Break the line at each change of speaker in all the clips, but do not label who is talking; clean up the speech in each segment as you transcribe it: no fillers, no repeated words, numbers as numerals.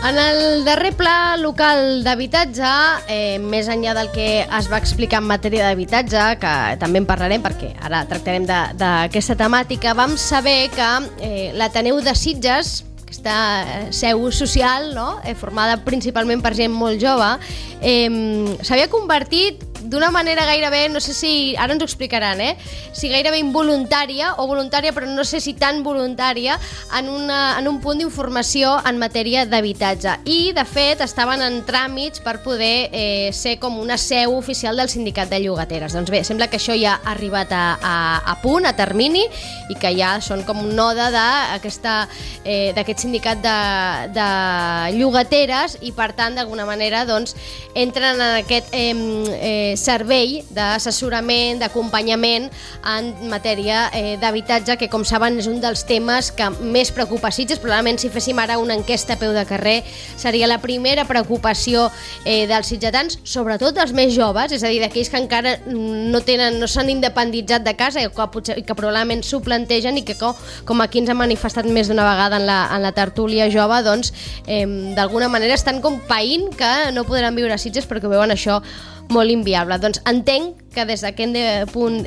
En el darrer pla local d'habitatge, més enllà del que es va explicar en matèria d'habitatge, que també en parlarem perquè ara tractarem d'aquesta temàtica, vam saber que l'Ateneu de Sitges, aquesta seu social, no? Formada principalment per gent molt jove, s'havia convertit d'una manera gairebé, no sé si, ara ens ho explicaran, si gairebé involuntària o voluntària, però no sé si tan voluntària, en un punt d'informació en matèria d'habitatge. I, de fet, estaven en tràmits per poder ser com una seu oficial del sindicat de llogateres. Doncs bé, sembla que això ja ha arribat a punt, a termini, i que ja són com un node d'aquest sindicat de llogateres i, per tant, d'alguna manera, doncs, entren en aquest servei d'assessorament, d'acompanyament en matèria d'habitatge, que com saben és un dels temes que més preocupa Sitges. Probablement si féssim ara una enquesta a peu de carrer seria la primera preocupació dels sitgetans, sobretot dels més joves, és a dir, d'aquells que encara no s'han independitzat de casa i que probablement s'ho plantegen i que com aquí ens ha manifestat més d'una vegada en la tertúlia jove, doncs d'alguna manera estan com païnt que no podran viure a Sitges perquè veuen això molt inviable. Doncs entenc que des d'aquest punt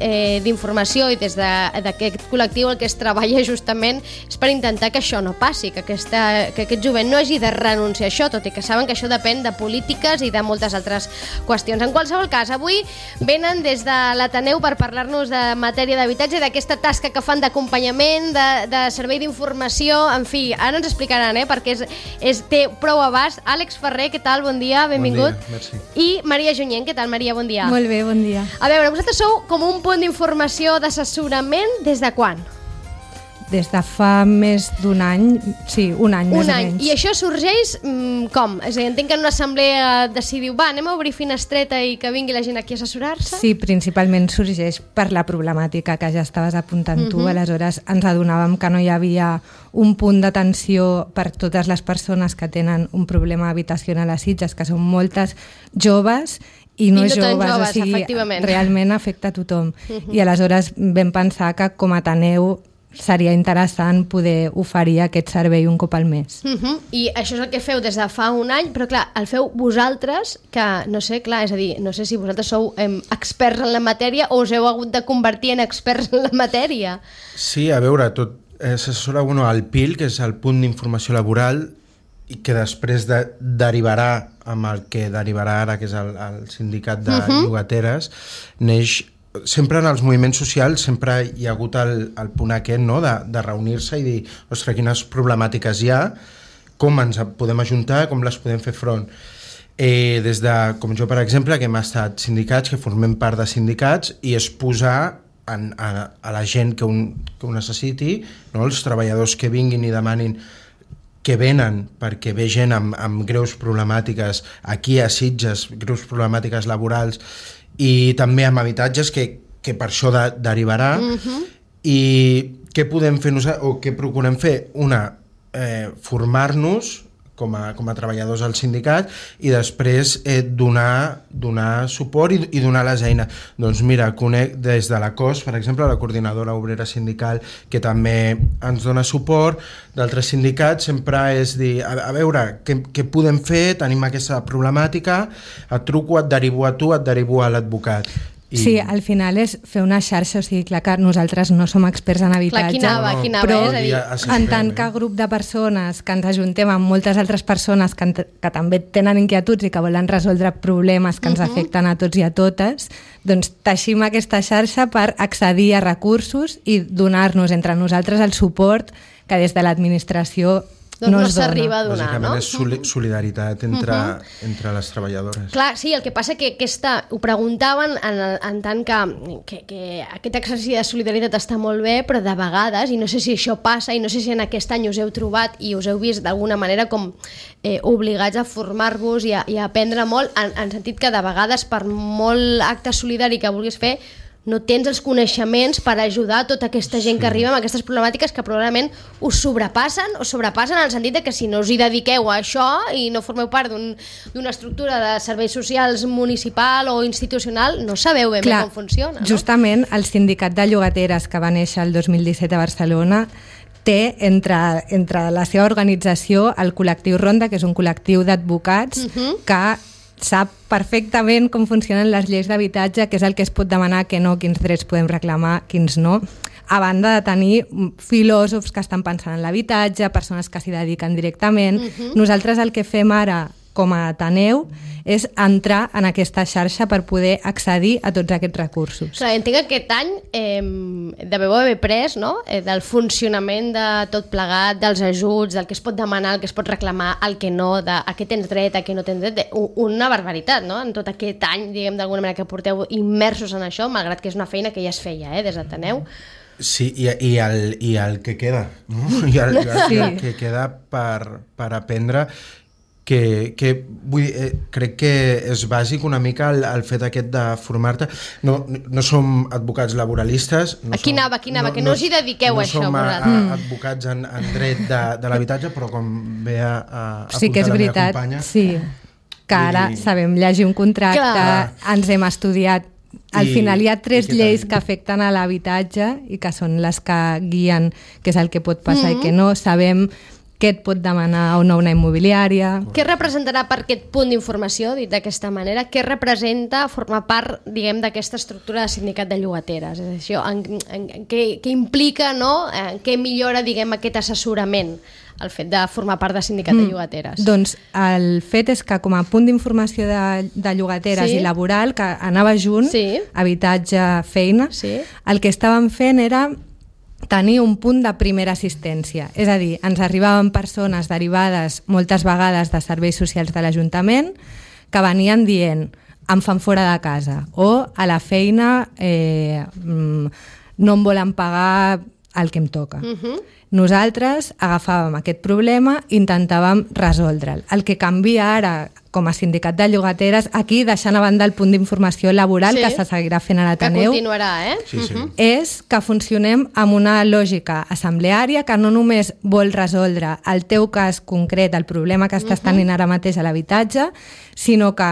d'informació i des d'aquest col·lectiu el que es treballa justament és per intentar que això no passi, que aquest jovent no hagi de renunciar a això, tot i que saben que això depèn de polítiques i de moltes altres qüestions. En qualsevol cas, avui venen des de l'Ateneu per parlar-nos de matèria d'habitatge, d'aquesta tasca que fan d'acompanyament, de servei d'informació, en fi, ara ens explicaran, perquè té prou abast. Àlex Ferrer, què tal? Bon dia, benvingut.
Bon dia, merci.
I Maria Junyent, què tal, Maria? Bon dia.
Molt bé, bon dia.
A veure, vosaltres sou com un punt d'informació, d'assessorament, des de quan?
Des de fa més d'un any, sí, un any més o menys.
I això sorgeix com? És a dir, entenc que en una assemblea decidiu, anem a obrir finestreta i que vingui la gent aquí a assessorar-se?
Sí, principalment sorgeix per la problemàtica que ja estaves apuntant tu, aleshores ens adonàvem que no hi havia un punt d'atenció per totes les persones que tenen un problema habitacional a Sitges, que són moltes joves i no joves, o sigui, realment afecta a tothom. I aleshores vam pensar que com a Ateneu seria interessant poder oferir aquest servei un cop al mes.
I això és el que feu des de fa un any, però clar, el feu vosaltres, que no sé, clar, és a dir, no sé si vosaltres sou experts en la matèria o us heu hagut de convertir en experts en la matèria.
Sí, a veure, tot s'assessora al PIL, que és el punt d'informació laboral, i que després derivarà amb el que derivarà ara, que és el sindicat de llogateres, neix. Sempre en els moviments socials sempre hi ha hagut el punt aquest, no? de reunir-se i dir, ostres, quines problemàtiques hi ha, com ens podem ajuntar, com les podem fer front. Des de, com jo per exemple, que hem estat sindicats, que formem part de sindicats, i és posar a la gent que ho necessiti, no? Els treballadors que vinguin i demanin, que venen perquè ve gent amb greus problemàtiques aquí a Sitges, greus problemàtiques laborals, i també amb habitatges que per això derivarà. I què podem fer nosaltres, o què procurem fer? Formar-nos com a treballadors al sindicat i després donar suport i donar les eines. Doncs mira, conec des de la COS, per exemple, la Coordinadora Obrera Sindical, que també ens dona suport, d'altres sindicats, sempre és dir, a veure, què podem fer, tenim aquesta problemàtica, et truco, et derivo a tu, et derivo a l'advocat.
Sí, al final és fer una xarxa, o sigui, clar que nosaltres no som experts en habitatge,
però
en tant que grup de persones que ens ajuntem amb moltes altres persones que també tenen inquietuds i que volen resoldre problemes que ens afecten a tots i a totes, doncs teixim aquesta xarxa per accedir a recursos i donar-nos entre nosaltres el suport que des de l'administració no s'arriba
a donar, no?
Bàsicament és solidaritat entre les treballadores.
Clar, sí, el que passa que ho preguntaven en tant que aquest exercici de solidaritat està molt bé, però de vegades, i no sé si això passa, i no sé si en aquest any us heu trobat i us heu vist d'alguna manera com obligats a formar-vos i a aprendre molt, en sentit que de vegades per molt acte solidari que vulguis fer no tens els coneixements per ajudar tota aquesta gent que arriba amb aquestes problemàtiques que probablement us sobrepassen en el sentit que si no us hi dediqueu a això i no formeu part d'una estructura de serveis socials municipal o institucional, no sabeu ben bé com funciona.
Justament el sindicat de llogateres que va néixer el 2017 a Barcelona té entre la seva organització el col·lectiu Ronda, que és un col·lectiu d'advocats que sap perfectament com funcionen les lleis d'habitatge, què és el que es pot demanar, què no, quins drets podem reclamar, quins no, a banda de tenir filòsofs que estan pensant en l'habitatge, persones que s'hi dediquen directament. Nosaltres el que fem ara com a Ateneu és entrar en aquesta xarxa per poder accedir a tots aquests recursos.
Clar, entenc que aquest any deveu haver pres, no?, del funcionament de tot plegat, dels ajuts, del que es pot demanar, el que es pot reclamar, el que no, de a què tens dret, a què no tens dret, una barbaritat, no?, en tot aquest any, diguem, d'alguna manera que porteu immersos en això, malgrat que és una feina que ja es feia, des d'Ateneu.
Sí, i el que queda, no? I el que queda per aprendre, que vull dir, crec que és bàsic una mica el fet aquest de formar-te. No som advocats laboralistes.
Aquí anava, que no us hi dediqueu a això.
No som advocats en dret de l'habitatge, però com ve a apuntar la meva companya...
Sí, que ara sabem llegir un contracte, ens hem estudiat. Al final hi ha 3 lleis que afecten a l'habitatge i que són les que guien què és el que pot passar i què no. Sabem què et pot demanar o no una immobiliària. Què
representarà per aquest punt d'informació, dit d'aquesta manera, què representa formar part, diguem, d'aquesta estructura de sindicat de llogateres? És això, què implica, no?, què millora, diguem, aquest assessorament, el fet de formar part de sindicat de llogateres?
Doncs el fet és que com a punt d'informació de llogateres i laboral, que anava junt, habitatge, feina, el que estàvem fent era tenir un punt de primera assistència. És a dir, ens arribaven persones derivades moltes vegades de serveis socials de l'Ajuntament que venien dient em fan fora de casa o a la feina no em volen pagar el que em toca. Nosaltres agafàvem aquest problema i intentàvem resoldre'l. El que canvia ara com a sindicat de llogateres, aquí deixant a banda el punt d'informació laboral que se seguirà fent a l'Ateneu,
que continuarà,
és que funcionem amb una lògica assembleària que no només vol resoldre el teu cas concret, el problema que estàs tenint ara mateix a l'habitatge, sinó que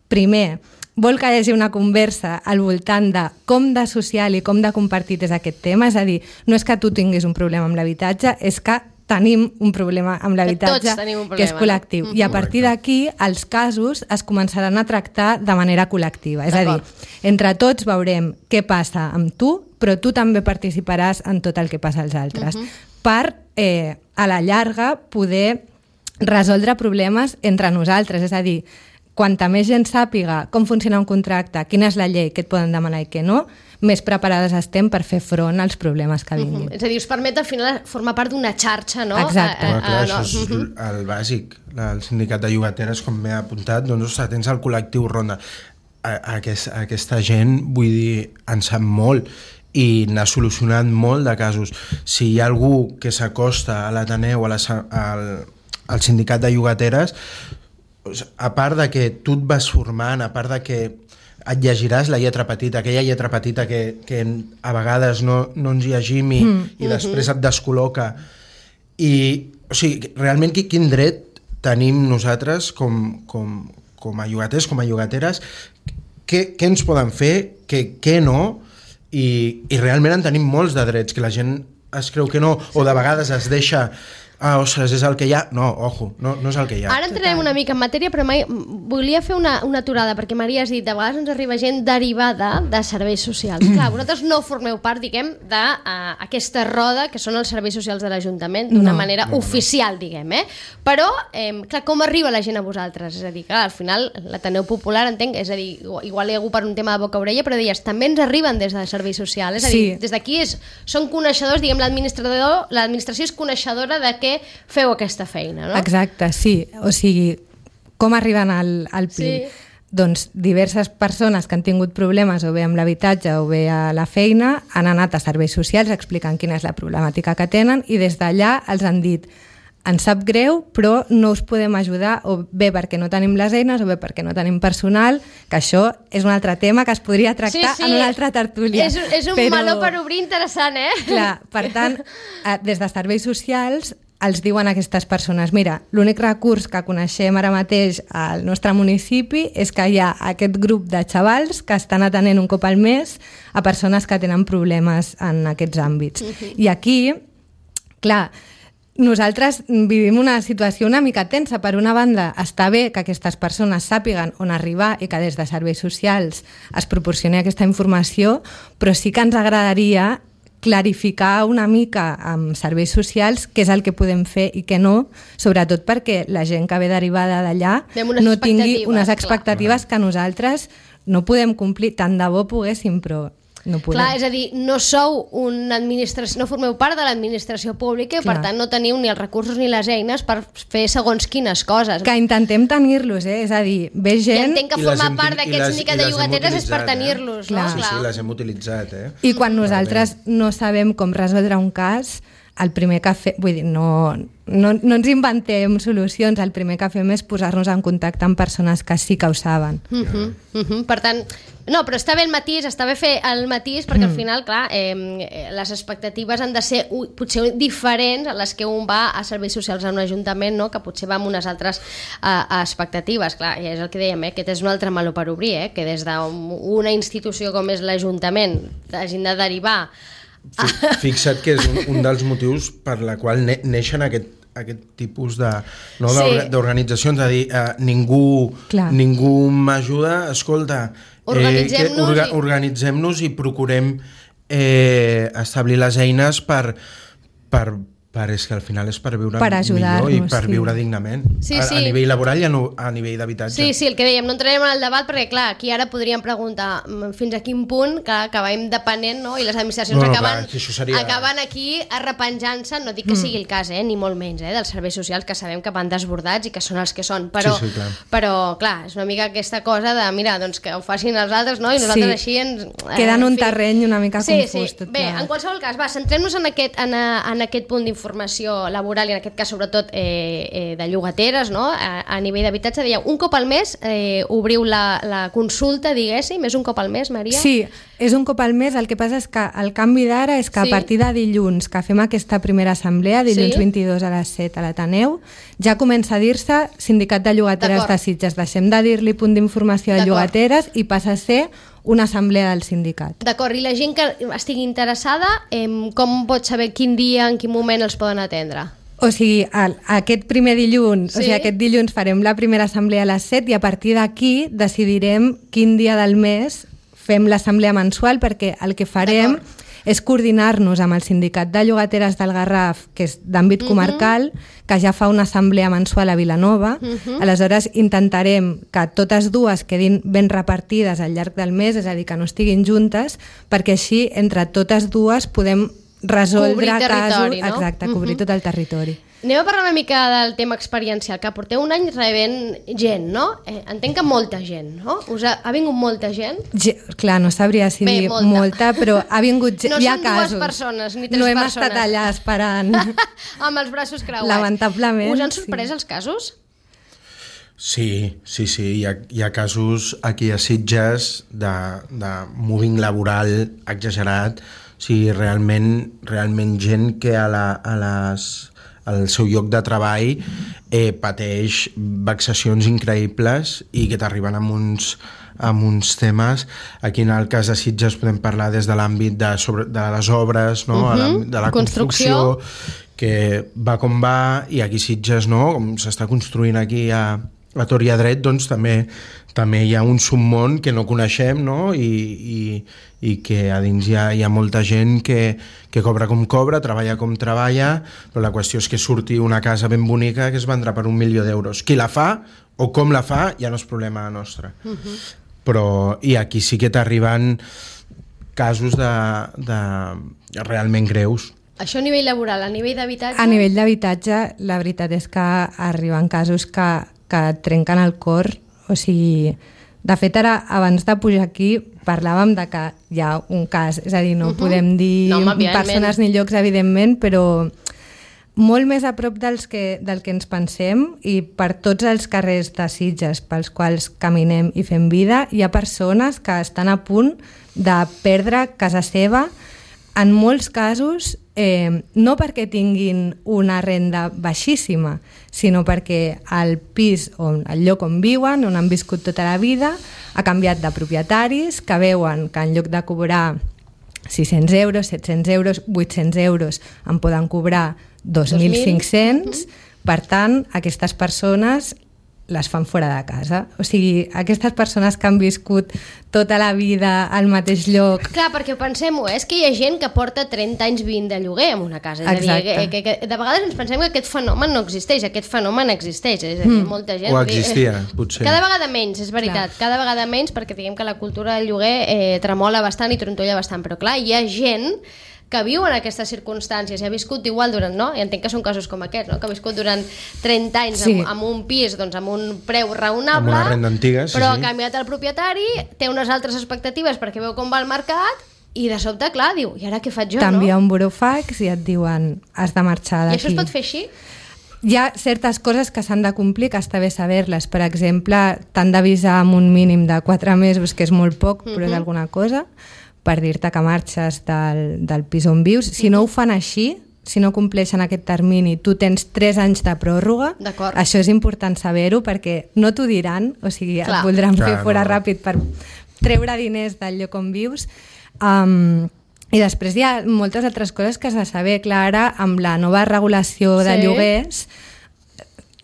primer vol que hi hagi una conversa al voltant de com de social i com de compartit és aquest tema, és a dir, no és que tu tinguis un problema amb l'habitatge, és que tenim un problema amb l'habitatge que és col·lectiu. I a partir d'aquí els casos es començaran a tractar de manera col·lectiva. És a dir, entre tots veurem què passa amb tu, però tu també participaràs en tot el que passa als altres. Per, a la llarga, poder resoldre problemes entre nosaltres. És a dir, quanta més gent sàpiga com funciona un contracte, quina és la llei, què et poden demanar i què no, més preparades estem per fer front als problemes que vinguin.
És a dir, us permet al final formar part d'una xarxa, no?
Exacte.
Això és el bàsic. El sindicat de llogateres, com m'he apuntat, doncs tens el col·lectiu Ronda. Aquesta gent, vull dir, en sap molt i n'ha solucionat molt de casos. Si hi ha algú que s'acosta a l'Ateneu, al sindicat de llogateres, a part de que tu et vas formant, a part de que et llegiràs la lletra petita, aquella lletra petita que a vegades no ens llegim i després et descol·loca. O sigui, realment quin dret tenim nosaltres com a llogaters, com a llogateres, què ens poden fer, què no, i realment en tenim molts de drets, que la gent es creu que no, o de vegades es deixa... ostres, és el que hi ha? No, ojo, no és el que hi ha.
Ara entrarem una mica en matèria, però volia fer una aturada, perquè Maria has dit, de vegades ens arriba gent derivada de serveis socials. Clar, vosaltres no formeu part, diguem, d'aquesta roda que són els serveis socials de l'Ajuntament, d'una manera oficial, diguem, Però, clar, com arriba la gent a vosaltres? És a dir, clar, al final, l'Ateneu Popular, entenc, és a dir, igual hi ha algú per un tema de boca-orella, però deies, també ens arriben des de serveis socials, és a dir, des d'aquí són coneixedors, diguem, l'administració és coneixedora de què feu aquesta feina, no?
Exacte, sí. O sigui, com arriben al PIL? Doncs diverses persones que han tingut problemes o bé amb l'habitatge o bé a la feina han anat a serveis socials explicant quina és la problemàtica que tenen i des d'allà els han dit ens sap greu, però no us podem ajudar o bé perquè no tenim les eines o bé perquè no tenim personal, que això és un altre tema que es podria tractar en una altra tertúlia.
És un meló per obrir interessant,
Clar, per tant, des de serveis socials els diuen a aquestes persones, mira, l'únic recurs que coneixem ara mateix al nostre municipi és que hi ha aquest grup de xavals que estan atenent un cop al mes a persones que tenen problemes en aquests àmbits. I aquí Clar, nosaltres vivim una situació una mica tensa. Per una banda, està bé que aquestes persones sàpiguen on arribar i que des de serveis socials es proporcioni aquesta informació, però sí que ens agradaria clarificar una mica amb serveis socials què és el que podem fer i què no, sobretot perquè la gent que ve derivada d'allà no tingui unes expectatives que nosaltres no podem complir. Tant de bo poguéssim, però no podem.
Clar, és a dir, no sou una administració, no formeu part de l'administració pública i per tant no teniu ni els recursos ni les eines per fer segons quines coses.
Que intentem tenir-los, és a dir, ve gent...
I entenc que formar part d'aquest sindicat de llogateres és per tenir-los, no?
Sí, les hem utilitzat,
I quan nosaltres no sabem com resoldre un cas, el primer que fem, vull dir, no ens inventem solucions, el primer que fem és posar-nos en contacte amb persones que sí que ho saben.
Per tant, no, però està bé el matís, està bé fer el matís perquè al final, clar, les expectatives han de ser potser diferents a les que un va a serveis socials a un ajuntament, no? Que potser va amb unes altres expectatives, clar, i és el que dèiem, aquest és un altre meló per obrir, que des d'una institució com és l'Ajuntament hagin de derivar.
Fixa't que és un dels motius per la qual neixen aquest tipus d'organitzacions, a dir, ningú m'ajuda, escolta, organitzem-nos i procurem establir les eines per és que al final és per viure millor i per viure dignament. A nivell laboral i a nivell d'habitatge.
Sí, el que dèiem, no entrarem en el debat perquè, clar, aquí ara podríem preguntar fins a quin punt que acabem depenent, no? I les administracions acaben aquí arrepenjant-se, no dic que sigui el cas, ni molt menys, dels serveis socials que sabem que van desbordats i que són els que són, però clar, és una mica aquesta cosa de, mira, doncs que ho facin els altres, no? I nosaltres així ens...
Queda en un terreny una mica confús.
Bé, en qualsevol cas, centrem-nos en aquest punt d'informació laboral i en aquest cas sobretot de llogateres, no? A nivell d'habitatge. Dèieu, un cop al mes obriu la consulta, diguéssim, és un cop al mes, Maria?
Sí, és un cop al mes. El que passa és que el canvi d'ara és que a partir de dilluns que fem aquesta primera assemblea, dilluns 22 a les 7 a l'Ateneu, ja comença a dir-se Sindicat de Llogateres de Sitges. Deixem de dir-li punt d'informació de llogateres i passa a ser una assemblea del sindicat.
D'acord, i la gent que estigui interessada, com pot saber quin dia, en quin moment els poden atendre?
O sigui, aquest primer dilluns, o sigui, aquest dilluns farem la primera assemblea a les 7 i a partir d'aquí decidirem quin dia del mes fem l'assemblea mensual, perquè el que farem és coordinar-nos amb el Sindicat de Llogateres del Garraf, que és d'àmbit comarcal, que ja fa una assemblea mensual a Vilanova. Aleshores intentarem que totes dues quedin ben repartides al llarg del mes, és a dir, que no estiguin juntes, perquè així entre totes dues podem resoldre casos, exacte, cobrir tot el territori.
Anem a parlar una mica del tema experiencial, que porteu un any rebent gent, no? Entenc que molta gent, no? Ha vingut molta gent?
Clar, no sabria si dir molta, però ha vingut gent, hi ha casos.
No són dues persones, ni tres persones.
No hem estat allà esperant.
Amb els braços creuats.
Lamentablement.
Us han sorprès els casos?
Sí, hi ha casos aquí a Sitges de moving laboral exagerat, o sigui, realment gent que al seu lloc de treball pateix vexacions increïbles i que t'arriben amb uns temes. Aquí en el cas de Sitges podem parlar des de l'àmbit de les obres, no? De la construcció, que va com va, i aquí Sitges, no? Com s'està construint aquí a tort i a dret, doncs també hi ha un submón que no coneixem, no? I que a dins hi ha molta gent que cobra com cobra, treballa com treballa, però la qüestió és que surti una casa ben bonica que es vendrà per 1 milió d'euros. Qui la fa o com la fa ja no és problema nostre. Però i aquí sí que t'arriben casos de realment greus.
Això a nivell laboral, a nivell d'habitatge?
A nivell d'habitatge, la veritat és que arriben casos que trenquen el cor. O sigui, de fet, ara, abans de pujar aquí, parlàvem de que hi ha un cas, és a dir, no podem dir persones ni llocs, evidentment, però molt més a prop del que ens pensem, i per tots els carrers de Sitges pels quals caminem i fem vida, hi ha persones que estan a punt de perdre casa seva, en molts casos no perquè tinguin una renda baixíssima, sinó perquè el pis o el lloc on viuen, on han viscut tota la vida, ha canviat de propietaris, que veuen que en lloc de cobrar 600 euros, 700 euros, 800 euros en poden cobrar 2.500, per tant, aquestes persones les fan fora de casa. O sigui, aquestes persones que han viscut tota la vida al mateix lloc...
Clar, perquè pensem-ho, és que hi ha gent que porta 30 anys vivint de lloguer en una casa. És a dir, que de vegades ens pensem que aquest fenomen no existeix, aquest fenomen existeix. És a dir, molta gent...
O existia, potser.
Cada vegada menys, és veritat, cada vegada menys, perquè diguem que la cultura del lloguer tremola bastant i trontolla bastant, però clar, hi ha gent que viu en aquestes circumstàncies i ha viscut igual durant, no? I entenc que són casos com aquests, no? Que ha viscut durant 30 anys amb un pis, doncs amb un preu raonable,
amb una renda antiga,
però ha canviat el propietari, té unes altres expectatives perquè veu com va el mercat i de sobte, clar, diu, i ara què faig jo, no?
T'envia un burofax i et diuen has de marxar d'aquí.
I això es pot fer així?
Hi ha certes coses que s'han de complir, que està bé saber-les. Per exemple, t'han d'avisar amb un mínim de 4 mesos, que és molt poc, però és alguna cosa, per dir-te que marxes del pis on vius. Si no ho fan així, si no compleixen aquest termini, tu tens 3 anys de pròrroga. Això és important saber-ho perquè no t'ho diran, o sigui, et voldran fer fora ràpid per treure diners del lloc on vius. I després hi ha moltes altres coses que has de saber. Clar, ara, amb la nova regulació de lloguers,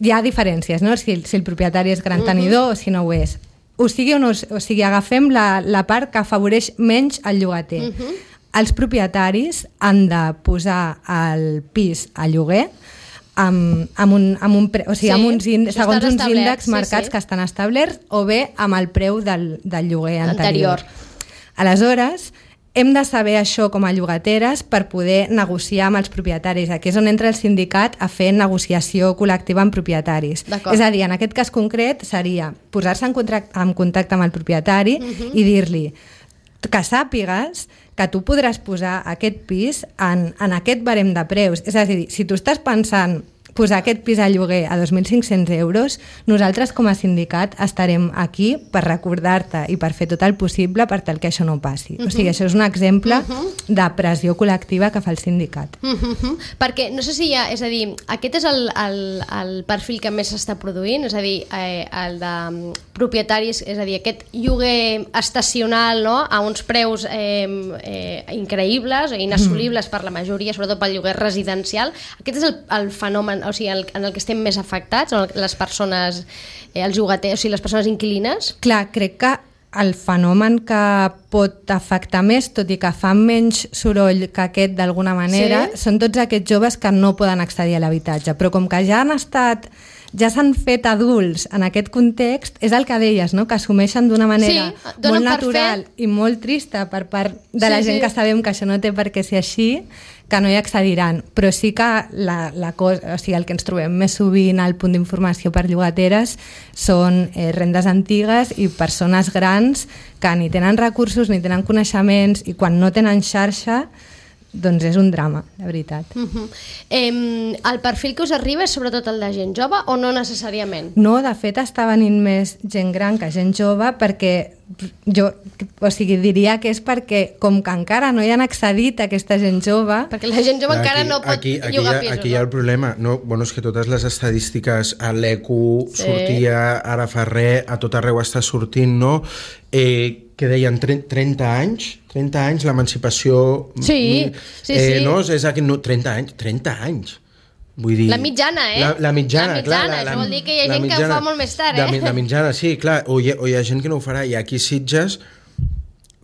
hi ha diferències, no? Si el propietari és gran tenidor o si no ho és. O sigui, agafem la part que afavoreix menys el llogater. Els propietaris han de posar el pis a lloguer segons uns índexs marcats que estan establerts o bé amb el preu del lloguer anterior. Aleshores, hem de saber això com a llogateres per poder negociar amb els propietaris. Aquí és on entra el sindicat a fer negociació col·lectiva amb propietaris. És a dir, en aquest cas concret seria posar-se en contacte amb el propietari i dir-li que sàpigues que tu podràs posar aquest pis en aquest barem de preus. És a dir, si tu estàs pensant posar aquest pis a lloguer a 2.500 euros, nosaltres com a sindicat estarem aquí per recordar-te i per fer tot el possible per tal que això no passi. O sigui, això és un exemple de pressió col·lectiva que fa el sindicat.
Perquè no sé si hi ha, és a dir, aquest és el perfil que més s'està produint, és a dir, el de propietaris, és a dir, aquest lloguer estacional, no?, a uns preus increïbles, inassolibles per la majoria, sobretot pel lloguer residencial. Aquest és el fenomen, o sigui, en el que estem més afectats, les persones, els llogaters, o sigui, les persones inquilines?
Clar, crec que el fenomen que pot afectar més, tot i que fa menys soroll que aquest d'alguna manera, són tots aquests joves que no poden accedir a l'habitatge. Però com que ja s'han fet adults en aquest context, és el que deies, no? Que assumeixen d'una manera molt natural i molt trista per part de la gent que sabem que això no té per què ser així, que no hi accediran. Però sí que el que ens trobem més sovint al punt d'informació per llogateres són rendes antigues i persones grans que ni tenen recursos ni tenen coneixements i quan no tenen xarxa doncs és un drama, de veritat.
El perfil que us arriba és sobretot el de gent jove o no necessàriament?
No, de fet està venint més gent gran que gent jove perquè diria que és perquè com que encara no hi han accedit a aquesta gent jove...
Perquè la gent jove encara no pot llogar pisos.
Aquí hi ha el problema. No, és que totes les estadístiques, a l'ECU sortia, ara fa res, a tot arreu està sortint, no? Que deien 30 anys l'emancipació...
Sí.
No, és aquí, no, 30 anys. Vull dir,
la mitjana,
La mitjana, clar.
Això vol dir que hi ha gent que ho fa molt més tard,
La mitjana, sí, clar. O hi ha gent que no ho farà. I aquí Sitges,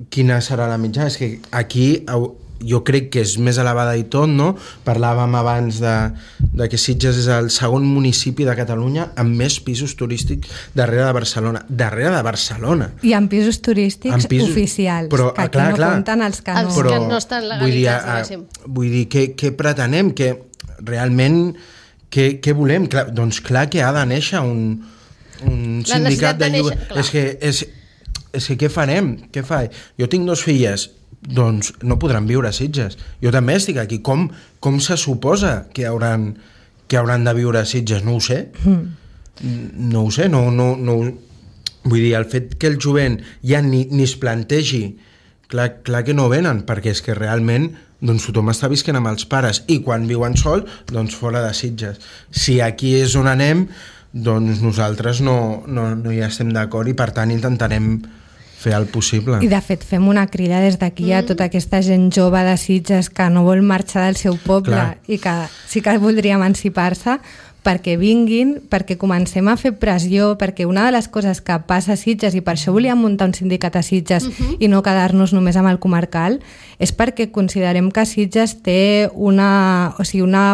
quina serà la mitjana? És que aquí jo crec que és més elevada i tot, no? Parlàvem abans de que Sitges és el segon municipi de Catalunya amb més pisos turístics darrere de Barcelona. Darrere de Barcelona.
I amb pisos turístics oficials, però, que aquí no compten els que no...
Els que no estan legalitzats.
Vull dir, què pretenem? Que realment, què volem? Doncs clar que ha de néixer un sindicat de lloguer. És que què farem? Què fa? Jo tinc 2 filles, doncs no podran viure a Sitges. Jo també estic aquí. Com se suposa que hauran de viure a Sitges? No ho sé. No ho sé. No. Vull dir, el fet que el jovent ja ni es plantegi, clar que no venen, perquè és que realment doncs tothom està visquent amb els pares i quan viuen sol, doncs fora de Sitges. Si aquí és on anem, doncs nosaltres no hi estem d'acord i per tant intentarem fer el possible.
I de fet fem una crida des d'aquí a tota aquesta gent jove de Sitges que no vol marxar del seu poble. Clar. I que sí que voldria emancipar-se, perquè vinguin, perquè comencem a fer pressió, perquè una de les coses que passa a Sitges, i per això volíem muntar un sindicat a Sitges i no quedar-nos només amb el comarcal, és perquè considerem que Sitges té una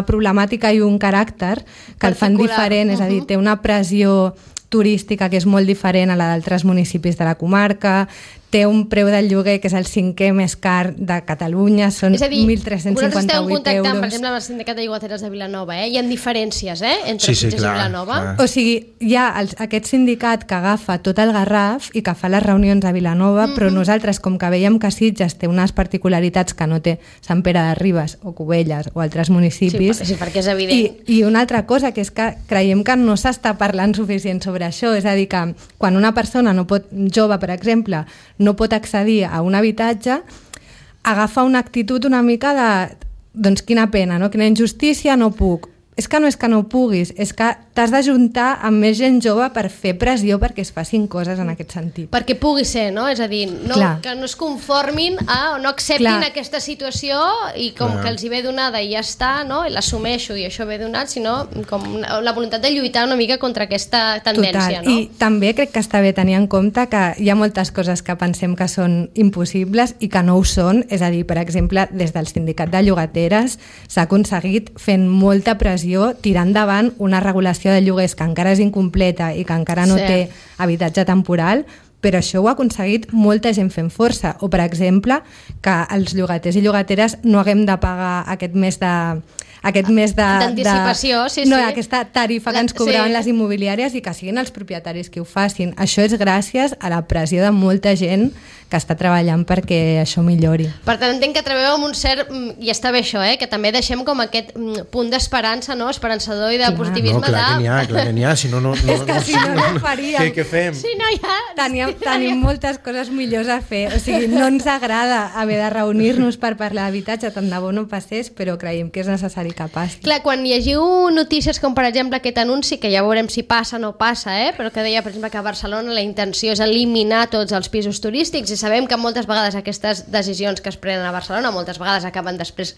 problemàtica i un caràcter que el fan diferent, és a dir, té una pressió turística que és molt diferent a la d'altres municipis de la comarca, té un preu del lloguer que és el 5è més car de Catalunya, són 1.358 euros.
Vosaltres esteu contactant, per exemple, amb el sindicat de llogateres de Vilanova, hi ha diferències entre Sitges i Vilanova?
Clar.
O sigui, hi ha aquest sindicat que agafa tot el Garraf i que fa les reunions a Vilanova, però nosaltres, com que veiem que Sitges té unes particularitats que no té Sant Pere de Ribes o Cubelles o altres municipis...
Sí, perquè és evident.
I una altra cosa, que és que creiem que no s'està parlant suficient sobre això, és a dir, que quan una persona jove, per exemple, no pot accedir a un habitatge, agafa una actitud una mica de doncs quina pena, no? Quina injustícia, no puc. És que no puguis, és que t'has d'ajuntar amb més gent jove per fer pressió perquè es facin coses en aquest sentit.
Perquè pugui ser, no? És a dir, que no es conformin o no acceptin aquesta situació i com que els hi ve donada i ja està, no? I l'assumeixo i això ve donat, sinó com la voluntat de lluitar una mica contra aquesta tendència.
Total. No? I també crec que està bé tenir en compte que hi ha moltes coses que pensem que són impossibles i que no ho són, és a dir, per exemple, des del sindicat de llogateres s'ha aconseguit fent molta pressió tirar endavant una regulació de lloguers que encara és incompleta i que encara no té habitatge temporal, però això ho ha aconseguit molta gent fent força. O, per exemple, que els llogaters i llogateres no haguem de pagar aquest mes
d'anticipació,
aquesta tarifa que ens cobraven les immobiliàries i que siguin els propietaris qui ho facin. Això és gràcies a la pressió de molta gent que està treballant perquè això millori.
Per tant, entenc que treballeu amb un cert... I està bé això, que també deixem com aquest punt d'esperança, no? Esperançador i de positivisme.
No, clar que n'hi ha, si no faríem. Què fem?
Si no,
Tenim moltes coses millors a fer. O sigui, no ens agrada haver de reunir-nos per parlar d'habitatge, tant de bo no passés, però creiem que és necessari que passi.
Clar, quan llegiu notícies com, per exemple, aquest anunci, que ja veurem si passa o no passa, però que deia, per exemple, que a Barcelona la intenció és eliminar tots els pisos turístics, i sabem que moltes vegades aquestes decisions que es prenen a Barcelona moltes vegades acaben després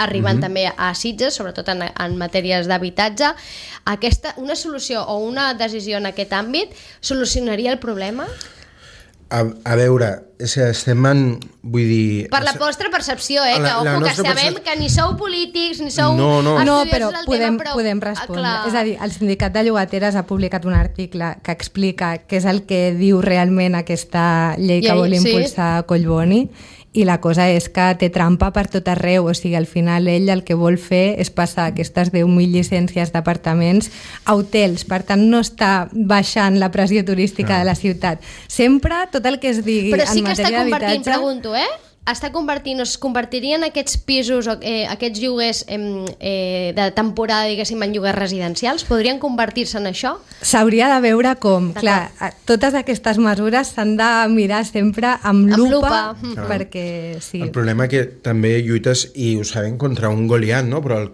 arribant també a Sitges, sobretot en matèries d'habitatge. Una solució o una decisió en aquest àmbit solucionaria el problema?
A veure, estem en... Vull dir...
Per la vostra percepció, que sabem que ni sou polítics, ni sou...
No, però podem respondre. És a dir, el sindicat de llogateres ha publicat un article que explica què és el que diu realment aquesta llei que vol impulsar Collboni, i la cosa és que té trampa per tot arreu, o sigui, al final ell el que vol fer és passar aquestes 10.000 llicències d'apartaments a hotels, per tant no està baixant la pressió turística de la ciutat. Sempre tot el que es digui en matèria d'habitatge... Però sí que està convertint, pregunto, es convertirien aquests pisos o aquests lloguers de temporada, diguéssim, en lloguers residencials? Podrien convertir-se en això? S'hauria de veure com. Clar, totes aquestes mesures s'han de mirar sempre amb lupa. Perquè sí.
El problema que també lluites, i ho sabem, contra un Goliat, no? Però al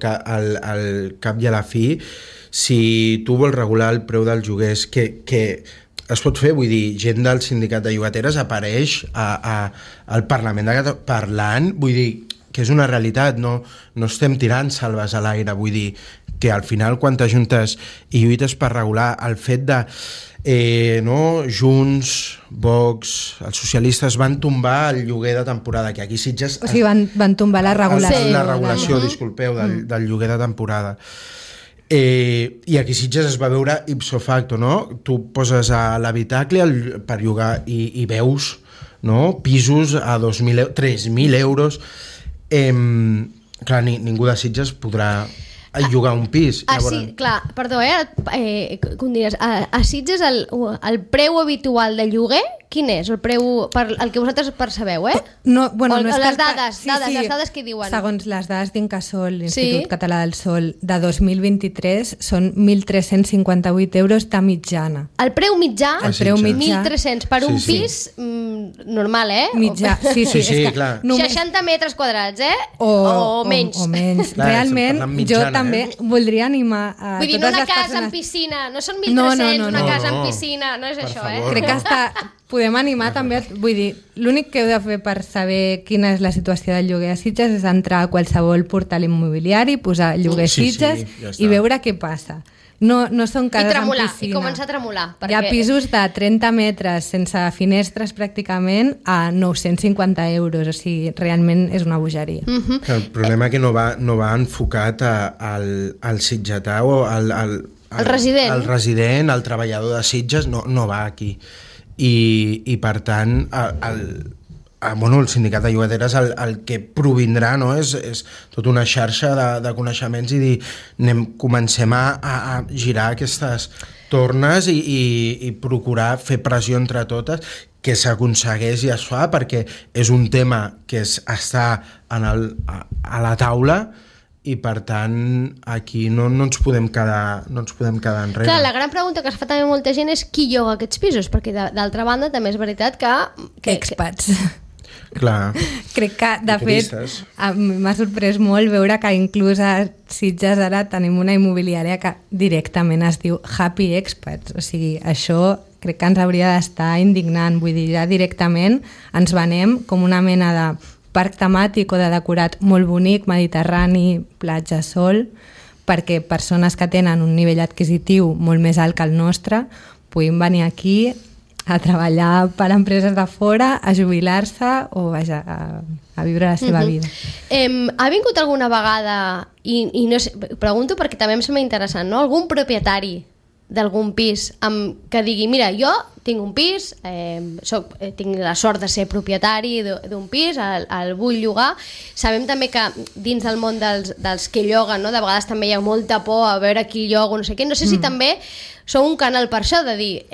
cap i a la fi, si tu vols regular el preu dels lloguers, que es pot fer, vull dir, gent del sindicat de llogateres apareix al Parlament de Catalunya parlant, vull dir, que és una realitat, no estem tirant salves a l'aire, vull dir, que al final quan t'ajuntes i lluites per regular el fet de Junts, Vox, els socialistes van tombar el lloguer de temporada, que aquí Sitges...
O sigui, van tombar la regulació.
La regulació, disculpeu, del lloguer de temporada. I aquí Sitges es va veure ipso facto, no? Tu poses a l'habitacle per llogar i veus, no? Pisos a 2.000 3.000 euros. Clar, ningú de Sitges podrà llogar un pis.
Clar, perdó, com diries, a Sitges el preu habitual de lloguer quin és? El preu, el que vosaltres percebeu,
No,
les dades, les dades que diuen.
Segons les dades d'Incasòl, l'Institut Català del Sòl, de 2023 són 1.358 euros de mitjana.
El preu mitjà?
El preu mitjà.
1.300 per un pis normal,
Mitjà, sí,
clar.
60 metres quadrats,
o
menys.
O menys.
Clar,
realment, jo també voldria animar a
vull dir,
totes
una
les
casa
persones...
amb piscina, no són 1.300, una casa amb piscina, no és això,
Crec que podem animar també, vull dir, l'únic que heu de fer per saber quina és la situació del lloguer a Sitges és entrar a qualsevol portal immobiliari, posar lloguer Sitges
ja
i veure què passa. No són cases amb piscina.
I començar a tremolar.
Hi ha pisos de 30 metres sense finestres pràcticament a 950 euros, o sigui, realment és una bogeria.
El problema que no va enfocat al sitgetà o al
resident.
El resident, el treballador de Sitges, no va aquí. I per tant, el sindicat de llogateres el que provindrà, no? és tota una xarxa de coneixements i dir, comencem a girar aquestes tornes i procurar fer pressió entre totes, que s'aconsegueix i es fa, perquè és un tema que està a la taula i per tant aquí no ens podem quedar enrere.
Clar, la gran pregunta que es fa també molta gent és qui lloga aquests pisos, perquè d'altra banda també és veritat que
expats.
Clar.
Crec que, de fet, m'ha sorprès molt veure que inclús a Sitges ara tenim una immobiliària que directament es diu Happy Expats. O sigui, això crec que ens hauria d'estar indignant. Vull dir, ja directament ens venem com una mena de parc temàtic o de decorat molt bonic, mediterrani, platja, sol, perquè persones que tenen un nivell adquisitiu molt més alt que el nostre puguin venir aquí a treballar per a empreses de fora, a jubilar-se o a viure la seva vida.
Ha vingut alguna vegada, i no sé, pregunto perquè també em sembla interessant, no? Algun propietari d'algun pis que digui, mira, jo tinc un pis, tinc la sort de ser propietari d'un pis, el vull llogar. Sabem també que dins del món dels que lloguen, no? De vegades també hi ha molta por a veure qui lloga, no sé què. No sé si també sou un canal per això, de dir,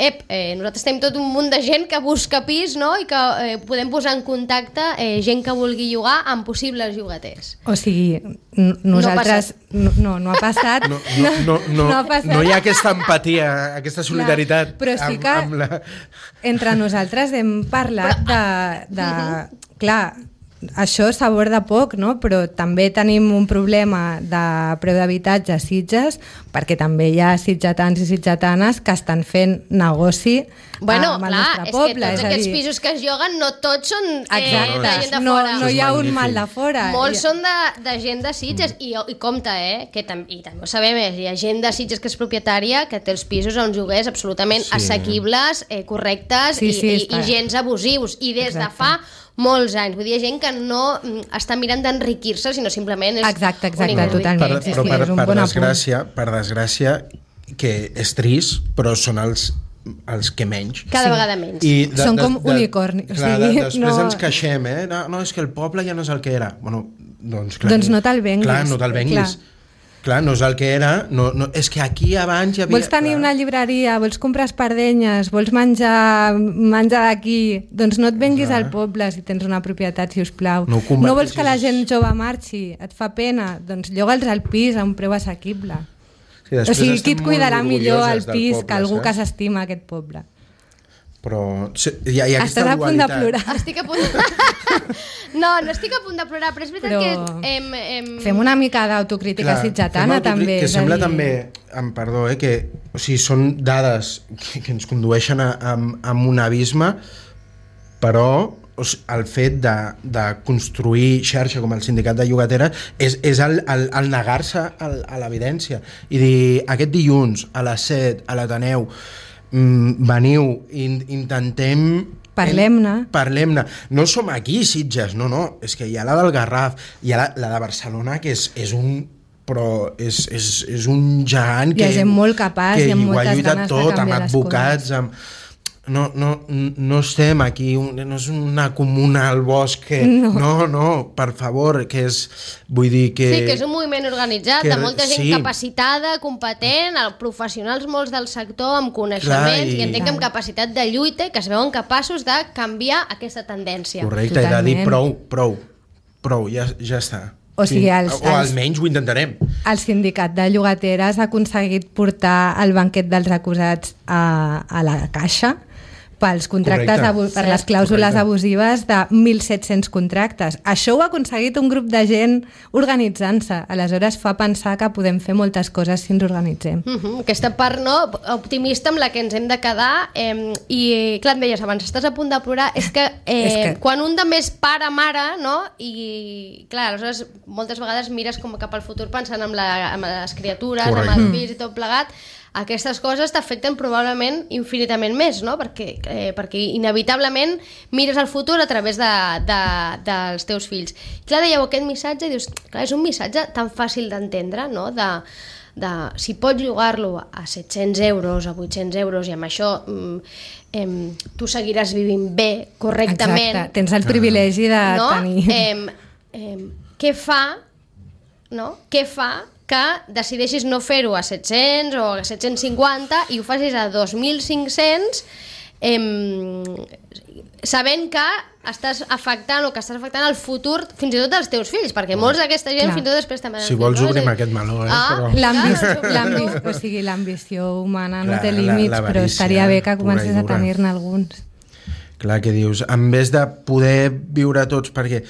nosaltres tenim tot un munt de gent que busca pis, no? I que podem posar en contacte gent que vulgui llogar amb possibles llogaters.
O sigui, nosaltres... No ha passat.
No ha passat. No hi ha aquesta empatia, aquesta solidaritat.
Però sí que entre nosaltres hem parlat de clar, això s'aborda poc, no? Però també tenim un problema de preu d'habitatge a Sitges, perquè també hi ha sitgetans i sitgetanes que estan fent negoci amb el nostre poble.
És que tots aquests pisos que es lloguen no tots són de gent de fora.
No hi ha un mal de fora.
Molts són de gent de Sitges i compte, que també ho sabem, hi ha gent de Sitges que és propietària que té els pisos a uns lloguers absolutament assequibles, correctes i gens abusius, i des de fa molts anys. Vull dir, hi ha gent que no està mirant d'enriquir-se, sinó simplement és...
Exacte, totalment.
Però per desgràcia, que és trist, però són els que menys.
Cada vegada menys.
Són com unicornis.
Després ens queixem, no, és que el poble ja no és el que era. Bueno, doncs
no te'l venguis.
Clar, no te'l venguis. Clar, no és el que era, és que aquí abans hi havia...
Vols tenir una llibreria, vols comprar espardenyes, vols menjar d'aquí, doncs no et venguis al poble si tens una propietat, si us plau. No vols que la gent jove marxi, et fa pena, doncs lloga'ls al pis a un preu assequible. O sigui, qui et cuidarà millor al pis que algú que s'estima aquest poble?
Però hi ha aquesta
dualitat. Estàs a punt de plorar.
Estic a punt de... No estic a punt de plorar, però és veritat que...
Fem una mica d'autocrítica sitgetana, també.
Que sembla també, perdó, que són dades que ens condueixen a un abisme, però el fet de construir xarxa com el sindicat de llogateres és el negar-se a l'evidència i dir, aquest dilluns a les 7 a l'Ateneu veniu, intentem... Parlem-ne. No som aquí, Sitges, no. És que hi ha la del Garraf, hi ha la de Barcelona, que és un... però és un gegant que...
Hi ha gent molt capaç i amb moltes ganes de canviar
amb advocats, no estem aquí, no és una comuna al bosc que... No, per favor, que és... Vull dir que...
Sí, que és un moviment organitzat, de molta gent capacitada, competent, professionals molts del sector, amb coneixements, i entenc amb capacitat de lluita, i que es veuen capaços de canviar aquesta tendència.
Correcte, i de dir prou, ja està.
O sigui,
o almenys ho intentarem.
El sindicat de llogateres ha aconseguit portar el banquet dels acusats a la caixa, pels contractes, per les clàusules abusives de 1.700 contractes. Això ho ha aconseguit un grup de gent organitzant-se. Aleshores fa pensar que podem fer moltes coses si ens organitzem.
Aquesta part optimista amb la que ens hem de quedar i clar, em deies abans, estàs a punt de plorar, és que quan un de més pare, mare, no? I clar, aleshores moltes vegades mires com cap al futur pensant en les criatures, amb els fills i tot plegat, aquestes coses t'afecten probablement infinitament més, no? Perquè inevitablement mires el futur a través dels teus fills. Clar, dèieu aquest missatge i dius, clar, és un missatge tan fàcil d'entendre, no? De si pots llogar-lo a 700 euros, a 800 euros i amb això tu seguiràs vivint bé, correctament.
Exacte, tens el privilegi de tenir...
Què fa que decideixis no fer-ho a 700 o a 750 i ho facis a 2.500 sabent que estàs afectant el futur fins i tot dels teus fills, perquè molts d'aquesta gent fins i tot després també...
Si vols obrim aquest meló,
però... L'ambició humana no té límits, però estaria bé que comences a tenir-ne alguns.
Clar, que dius, en vez de poder viure tots, perquè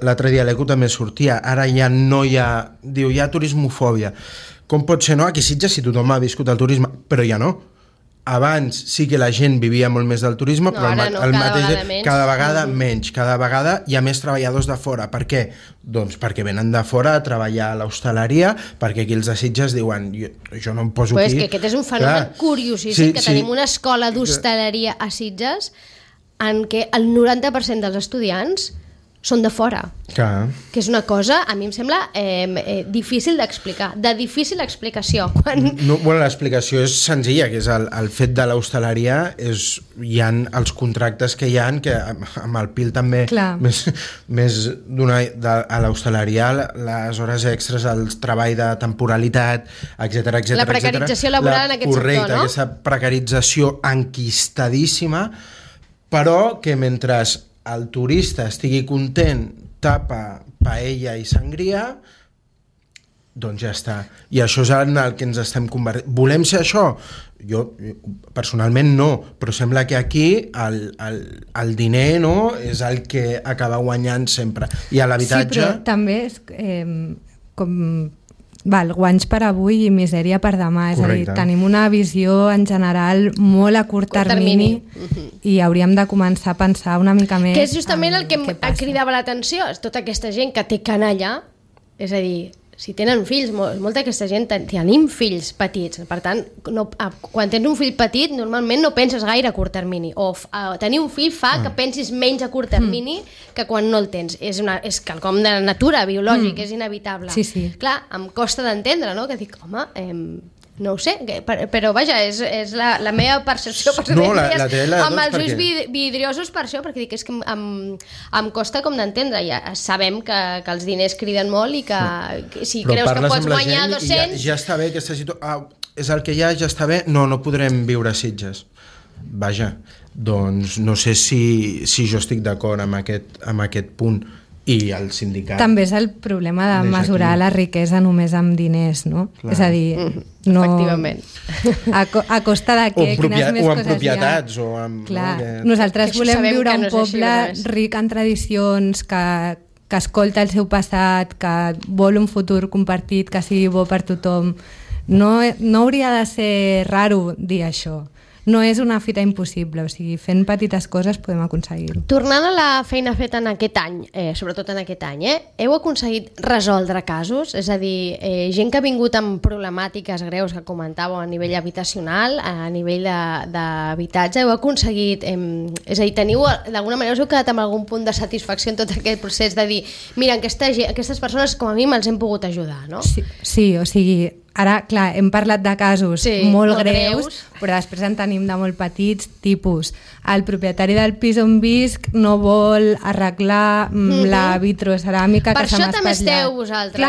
l'altre dia l'Eco també sortia, ara ja no hi ha... Diu, hi ha turismofòbia. Com pot ser, no? Aquí a Sitges, si tothom ha viscut el turisme, però ja no. Abans sí que la gent vivia molt més del turisme, però cada vegada menys. Cada vegada hi ha més treballadors de fora. Per què? Doncs perquè venen de fora a treballar a l'hostaleria, perquè aquí els de Sitges diuen jo no em poso aquí.
Però és que aquest és un fenomen curiosíssim, que tenim una escola d'hostaleria a Sitges en què el 90% dels estudiants són de fora.
Clar.
Que és una cosa, a mi em sembla difícil d'explicar, de difícil explicació.
L'explicació és senzilla, que és el fet de l'hostaleria, hi ha els contractes que hi ha, que amb el PIL també més a l'hostaleria, les hores extres, el treball de temporalitat, etc.
La precarització laboral en aquest sector, no?
Correcte, aquesta precarització enquistadíssima, però que mentre el turista estigui content, tapa, paella i sangria, doncs ja està. I això és en el que ens estem convertint. Volem ser això? Jo personalment no, però sembla que aquí el diner és el que acaba guanyant sempre. I a l'habitatge...
Sí, però també és guanys per avui i misèria per demà. És a dir, tenim una visió en general molt a curt termini i hauríem de començar a pensar una mica més...
Que és justament el que em cridava l'atenció, és tota aquesta gent que té canalla, és a dir, si tenen fills, molta d'aquesta gent tenim fills petits, per tant, quan tens un fill petit normalment no penses gaire a curt termini, o tenir un fill fa que pensis menys a curt termini que quan no el tens. És quelcom de natura biològic, és inevitable.
Sí.
Clar, em costa d'entendre, no? Que dic, home... No ho sé, però vaja, és la meva percepció amb els ulls vidriosos per això, perquè dic, és que em costa com d'entendre. Ja sabem que els diners criden molt i que si creus que pots guanyar 200...
Ja està bé aquesta situació, és el que hi ha, ja està bé, no podrem viure a Sitges. Vaja, doncs no sé si jo estic d'acord amb aquest punt. I el sindicat...
També és el problema de mesurar la riquesa només amb diners, no? Clar. És a dir, no...
Efectivament.
A costa de què? Quines més coses hi ha?
O amb propietats, o amb...
Clar, nosaltres volem viure un poble ric en tradicions, que escolta el seu passat, que vol un futur compartit, que sigui bo per tothom. No hauria de ser raro dir això. No és una fita impossible, o sigui, fent petites coses podem aconseguir-ho.
Tornant a la feina feta en aquest any, sobretot en aquest any, heu aconseguit resoldre casos? És a dir, gent que ha vingut amb problemàtiques greus que comentàveu a nivell habitacional, a nivell d'habitatge, heu aconseguit... És a dir, d'alguna manera us heu quedat amb algun punt de satisfacció en tot aquest procés de dir, mira, aquestes persones com a mi me'ls hem pogut ajudar, no?
Sí, o sigui... Ara, clar, hem parlat de casos molt greus, però després en tenim de molt petits, tipus el propietari del pis on visc no vol arreglar la vitroceràmica que se m'ha espatllat.
Per això també esteu vosaltres,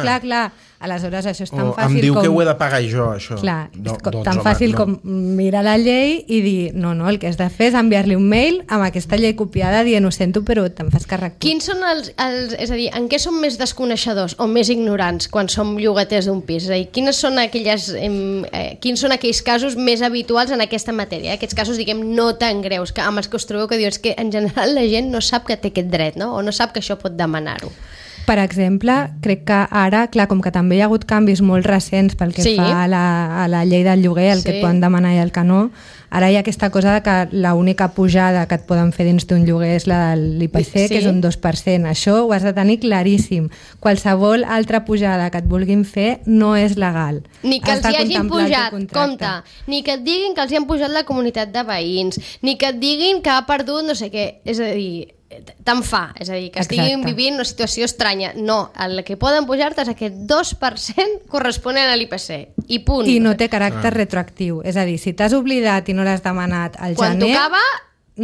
clar, clar. Aleshores, això és tan
O
fàcil
em diu
com...
que ho he de pagar jo, això.
Clar,
No,
és
doncs,
tan
home,
fàcil
no.
com mirar la llei i dir no, el que has de fer és enviar-li un mail amb aquesta llei copiada dient ho sento però te'n fas càrrec tu.
Quins són és a dir, en què som més desconeixedors o més ignorants quan som llogaters d'un pis? És a dir, quins són aquells casos més habituals en aquesta matèria? Aquests casos, diguem, no tan greus, que amb els que us trobeu que dius que en general la gent no sap que té aquest dret, no? O no sap que això pot demanar-ho.
Per exemple, crec que ara, clar, com que també hi ha hagut canvis molt recents pel que fa a la llei del lloguer, el que et poden demanar i el que no, ara hi ha aquesta cosa de que l'única pujada que et poden fer dins d'un lloguer és la de l'IPC, que és un 2%. Això ho has de tenir claríssim. Qualsevol altra pujada que et vulguin fer no és legal.
Ni que els hi hagin pujat, compte, ni que et diguin que els hi han pujat la comunitat de veïns, ni que et diguin que ha perdut no sé què, és a dir, tant fa, és a dir, que estiguin vivint una situació estranya. No, el que poden pujar-te és aquest 2% corresponent a l'IPC, i punt.
I no té caràcter retroactiu, és a dir, si t'has oblidat i no l'has demanat al
quan
gener,
tocava,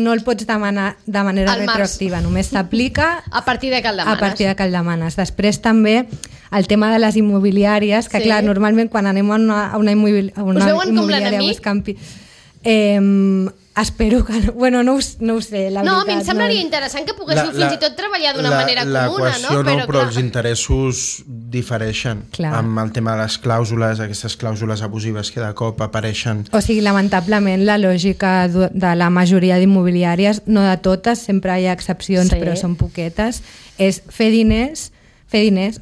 no el pots demanar de manera retroactiva, només s'aplica
a partir de que el demanes.
A partir de que el demanes. Després també el tema de les immobiliàries, que clar, normalment quan anem a una immobiliària buscant espero que no, bueno, no ho sé, la veritat.
No, a mi em semblaria interessant que poguéssiu fins i tot treballar d'una manera comuna, no?
Però els interessos difereixen. Amb el tema de les clàusules, aquestes clàusules abusives que de cop apareixen.
O sigui, lamentablement, la lògica de la majoria d'immobiliàries, no de totes, sempre hi ha excepcions, però són poquetes, és fer diners,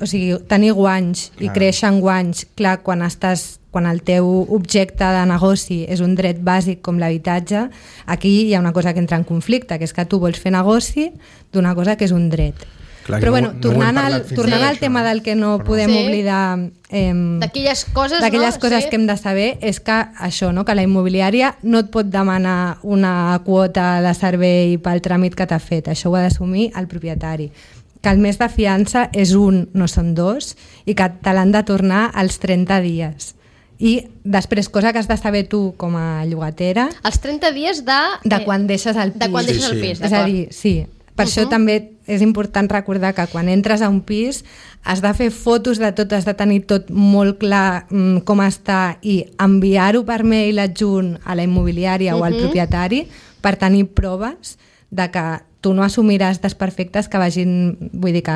o sigui, tenir guanys i créixer en guanys. Clar, quan el teu objecte de negoci és un dret bàsic com l'habitatge, aquí hi ha una cosa que entra en conflicte, que és que tu vols fer negoci d'una cosa que és un dret.
Clar,
però bueno, tornant al tema del que no podem oblidar
d'aquelles coses
que hem de saber, és que això, que la immobiliària no et pot demanar una quota de servei pel tràmit que t'ha fet, això ho ha d'assumir el propietari, que el mes de fiança és un, no són dos, i que te l'han de tornar als 30 dies. I després, cosa que has de saber tu com a llogatera,
els 30 dies de
quan deixes el pis.
De quan deixes el pis,
és a dir, sí, per això també és important recordar que quan entres a un pis has de fer fotos de tot, has de tenir tot molt clar com està i enviar-ho per mail adjunt a la immobiliària o al propietari per tenir proves de que tu no assumiràs desperfectes que vagin, vull dir que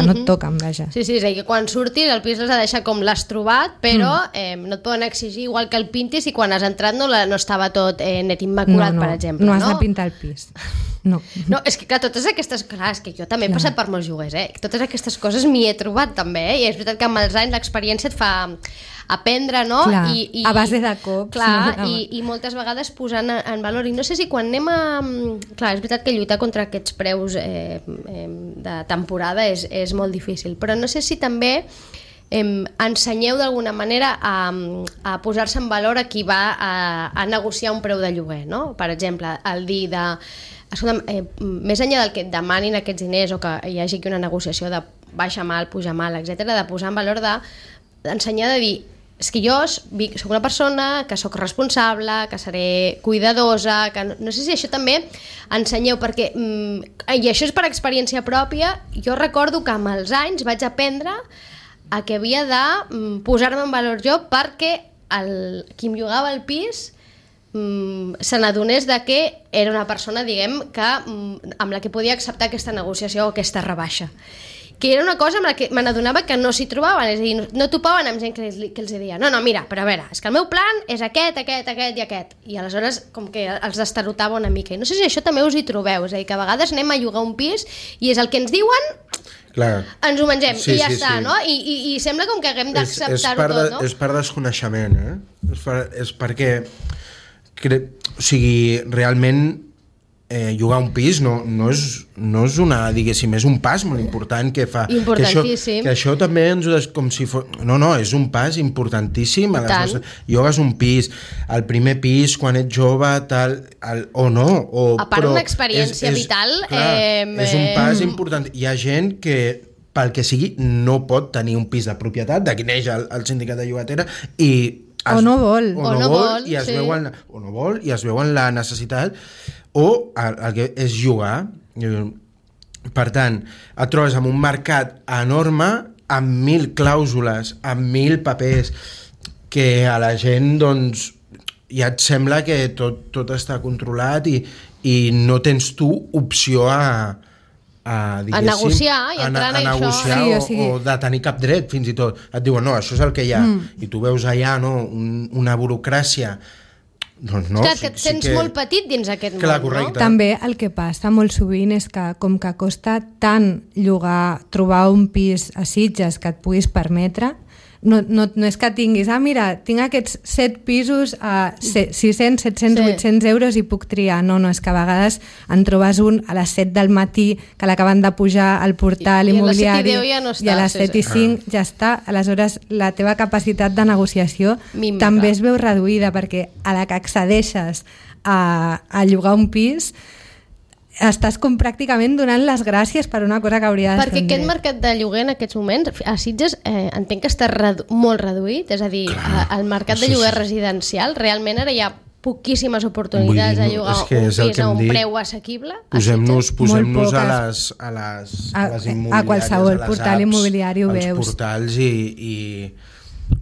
no et toquen, vaja.
Sí, és a dir, que quan surtis el pis l'has de deixar com l'has trobat, però no et poden exigir igual que el pintis i quan has entrat no estava tot net immaculat, per exemple.
No has de pintar el pis. No,
és que clar, totes aquestes... Clar, és que jo també he passat per molts lloguers, totes aquestes coses m'hi he trobat també, i és veritat que amb els anys l'experiència et fa aprendre, no?
Clar, a base de cops.
Clar, i moltes vegades posant en valor. I no sé si quan anem a... Clar, és veritat que lluitar contra aquests preus de temporada és molt difícil, però no sé si també ensenyeu d'alguna manera a posar-se en valor a qui va a negociar un preu de lloguer, no? Per exemple, el dir de... més enllà del que et demanin aquests diners o que hi hagi aquí una negociació de baixa mal, puja mal, etc., de posar en valor d'ensenyar de dir és que jo soc una persona que soc responsable, que seré cuidadosa, que no sé si això també ensenyeu, perquè i això és per experiència pròpia. Jo recordo que amb els anys vaig aprendre a que havia de posar-me en valor jo perquè qui em llogava el pis se n'adonés de que era una persona, diguem, que amb la que podia acceptar aquesta negociació o aquesta rebaixa, que era una cosa amb la que me n'adonava que no s'hi trobaven, és a dir, no topaven amb gent que els deia, no, mira, però a veure, és que el meu plan és aquest i aquest, i aleshores com que els destarotava una mica, i no sé si això també us hi trobeu, és a dir, que a vegades anem a llogar un pis i és el que ens diuen,
clar,
ens ho mengem i ja està, no? I sembla com que haguem d'acceptar-ho tot, no?
És per desconeixement, és perquè o sigui, realment llogar un pis no és una, diguéssim, és un pas molt important que fa.
Importantíssim.
Que això també ens ho com si fos... No, és un pas importantíssim. Llogues un pis, el primer pis, quan ets jove, tal, o no.
A part d'una experiència vital...
És un pas important. Hi ha gent que pel que sigui no pot tenir un pis de propietat, d'aquí neix el sindicat de llogatera,
o no vol
i es veuen la necessitat o el que és llogar. Per tant, et trobes en un mercat enorme amb 1.000 clàusules, amb 1.000 papers, que a la gent doncs ja et sembla que tot està controlat i no tens tu opció a
negociar i entrar en això.
Sí, o de tenir cap dret, fins i tot. Et diuen, no, això és el que hi ha. I tu veus allà una burocràcia. Doncs no,
clar, que et sents molt petit dins aquest món,
correcte.
No? També el que passa molt sovint és que com que costa tant trobar un pis a Sitges que et puguis permetre, no és que tinguis, mira, tinc aquests 7 pisos a 600, 700, 800 euros i puc triar. No, és que a vegades en trobes un a les 7 del matí que l'acaben de pujar al portal immobiliari
ja no està,
i a les 7 i 5 ja està. Aleshores, la teva capacitat de negociació també es veu reduïda, perquè a la que accedeixes a llogar un pis estàs com pràcticament donant les gràcies per una cosa que hauria de ser
perquè aquest mercat de lloguer en aquests moments a Sitges entenc que està molt reduït, és a dir, el mercat de lloguer residencial realment ara hi ha poquíssimes oportunitats de llogar un pis a un preu assequible.
Posem-nos a les immobiliàries,
a qualsevol portal immobiliari ho veus,
als portals i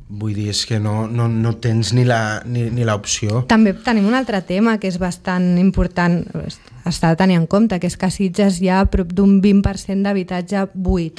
vull dir, és que no tens ni l'opció.
També tenim un altre tema que és bastant important, està de tenir en compte, que és que a Sitges hi ha prop d'un 20% d'habitatge buit,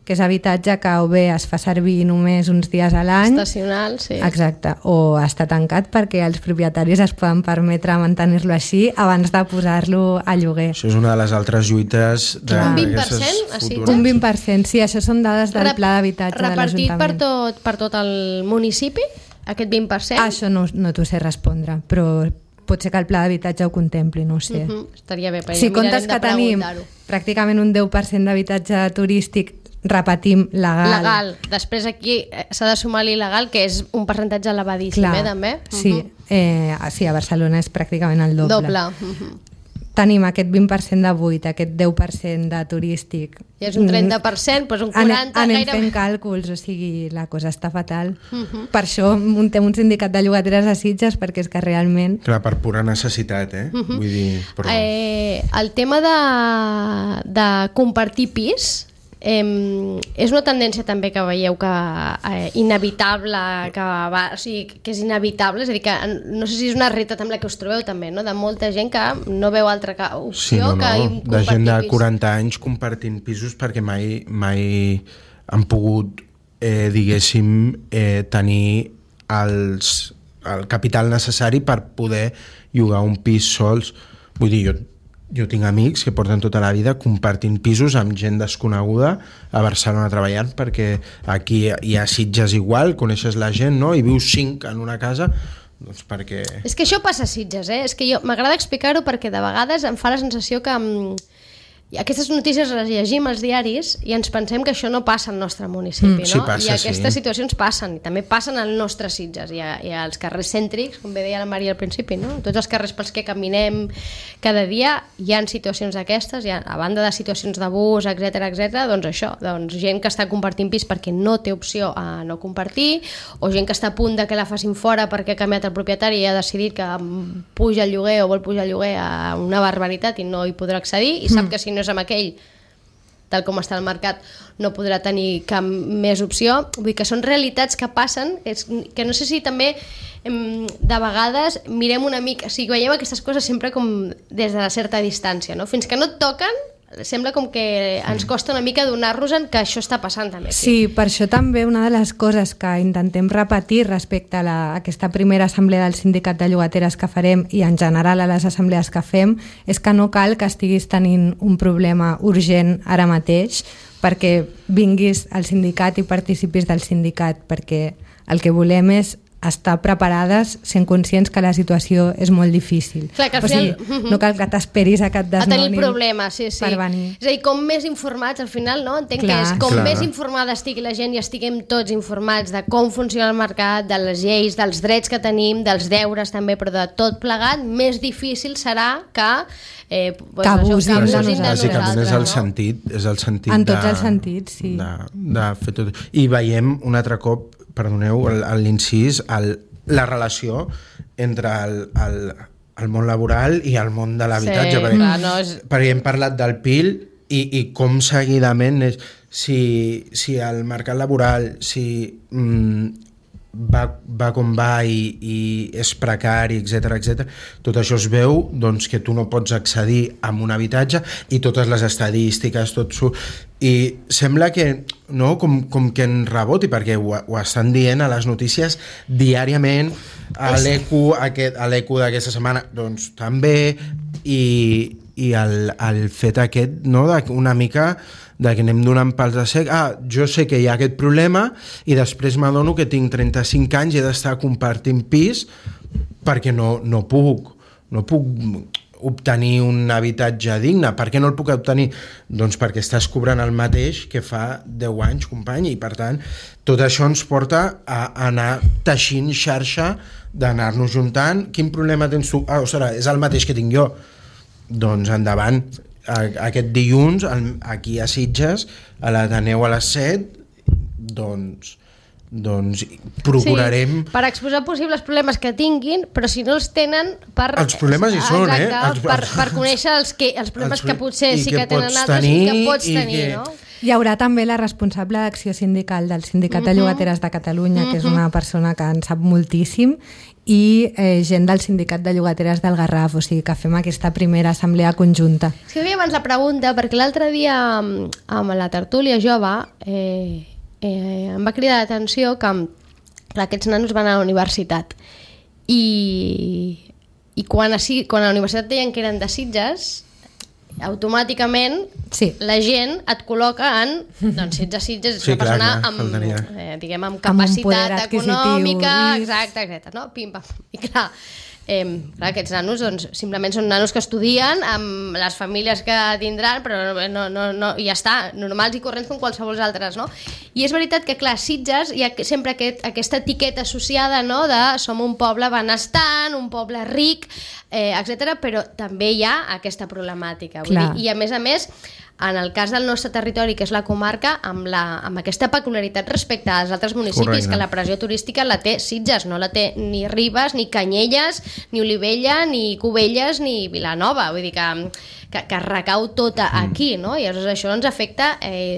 que és habitatge que o bé es fa servir només uns dies a l'any,
estacional, sí.
Exacte, o està tancat perquè els propietaris es poden permetre mantenir-lo així abans de posar-lo a lloguer.
Això és una de les altres lluites
un 20% a Sitges?
Un 20%, sí, això són dades del pla d'habitatge de l'Ajuntament.
Repartit per tot el municipi, aquest 20%?
Això no t'ho sé respondre, però pot ser que el pla d'habitatge ho contempli, no ho sé.
Estaria bé,
si comptes que tenim pràcticament un 10% d'habitatge turístic, repetim, legal.
Després aquí s'ha de sumar l'il·legal, que és un percentatge elevadíssim, també.
Sí, a Barcelona és pràcticament el doble. Tenim aquest 20% de buit, aquest 10% de turístic.
I és un 30%, doncs un 40%...
Anem fent càlculs, o sigui, la cosa està fatal. Per això muntem un sindicat de llogateres a Sitges, perquè és que realment...
Clar, per pura necessitat, Vull dir... Però...
El tema de compartir pis... és una tendència també que veieu que inevitable, que és inevitable, és a dir, que no sé si és una realitat amb la que us trobeu també, no? De molta gent que no veu altra opció que compartir pis.
De gent de 40 anys compartint pisos perquè mai han pogut diguéssim tenir el capital necessari per poder llogar un pis sols. Vull dir, jo tinc amics que porten tota la vida compartint pisos amb gent desconeguda a Barcelona treballant, perquè aquí hi ha Sitges igual, coneixes la gent, no? I vius 5 en una casa, doncs perquè...
És que això passa a Sitges, És que m'agrada explicar-ho perquè de vegades em fa la sensació que aquestes notícies les llegim als diaris i ens pensem que això no passa al nostre municipi, no?
Sí, passa,
i aquestes situacions passen, i també passen al nostre Sitges i als carrers cèntrics, com bé deia la Maria al principi, no? Tots els carrers pels que caminem cada dia hi ha situacions d'aquestes, a banda de situacions d'abús, etc, doncs això, gent que està compartint pis perquè no té opció a no compartir, o gent que està a punt de que la facin fora perquè ha canviat el propietari i ha decidit que puja el lloguer o vol pujar el lloguer a una barbaritat i no hi podrà accedir, i sap que si no és amb aquell, tal com està el mercat, no podrà tenir cap més opció. Vull dir que són realitats que passen, que no sé si també de vegades mirem una mica, o sigui, veiem aquestes coses sempre com des de certa distància, no? Fins que no et toquen, sembla com que ens costa una mica donar-nos-en que això està passant també aquí.
Sí, per això també una de les coses que intentem repetir respecte a aquesta primera assemblea del sindicat de llogateres que farem i en general a les assemblees que fem és que no cal que estiguis tenint un problema urgent ara mateix perquè vinguis al sindicat i participis del sindicat, perquè el que volem és estar preparades sent conscients que la situació és molt difícil.
Clar, que al final...
no cal que t'esperis a que et desnonin
a tenir problemes, sí.
Per venir.
És a dir, com més informats al final, no? Entenc que és com més informada estigui la gent i estiguem tots informats de com funciona el mercat, de les lleis, dels drets que tenim, dels deures també, però de tot plegat, més difícil serà que
abusin de nosaltres.
És el sentit
en tots els sentits, sí.
De fer tot. I veiem un altre cop, perdoneu l'incís, la relació entre el món laboral i el món de l'habitatge, perquè hem parlat del PIL i com seguidament si el mercat laboral va com va i és precari, etc. Tot això es veu doncs, que tu no pots accedir a un habitatge i totes les estadístiques, i sembla que no, com que en reboti, perquè ho estan dient a les notícies diàriament, a l'ECO d'aquesta setmana doncs també, i el fet aquest, no, una mica de que anem donant pals de sec. Jo sé que hi ha aquest problema i després m'adono que tinc 35 anys i he d'estar compartint pis perquè no puc obtenir un habitatge digne. Per què no el puc obtenir? Doncs perquè estàs cobrant el mateix que fa 10 anys, company, i per tant tot això ens porta a anar teixint xarxa, d'anar-nos juntant. Quin problema tens tu? Ostres, és el mateix que tinc jo. Doncs endavant. Aquest dilluns aquí a Sitges, a l'Ateneu a les 7, doncs procurarem...
Sí, per exposar possibles problemes que tinguin, però si no els tenen
els problemes hi són,
per conèixer els problemes que potser sí que tenen altres i que pots tenir, no?
Hi haurà també la responsable d'acció sindical del Sindicat de Llogateres de Catalunya, que és una persona que en sap moltíssim, i gent del Sindicat de Llogateres del Garraf, o sigui que fem aquesta primera assemblea conjunta.
És que havia abans la pregunta, perquè l'altre dia amb la tertúlia jove em va cridar l'atenció que aquests nanos van a la universitat i quan a la universitat deien que eren de Sitges, automàticament la gent et col·loca en Sitges és una persona amb capacitat econòmica, exacte, no? Pim, pam. I clar, aquests nanos simplement són nanos que estudien amb les famílies que tindran, però no, i ja està, normals i corrents com qualsevol altres, no? I és veritat que, clar, Sitges hi ha sempre aquesta etiqueta associada, no?, de som un poble benestant, un poble ric, etc., però també hi ha aquesta problemàtica. Vull dir, i a més, en el cas del nostre territori, que és la comarca, amb aquesta peculiaritat respecte als altres municipis, que la pressió turística la té Sitges, no la té ni Ribes, ni Canyelles, ni Olivella, ni Cubelles, ni Vilanova. Vull dir que recau tota aquí, no? I llavors això ens afecta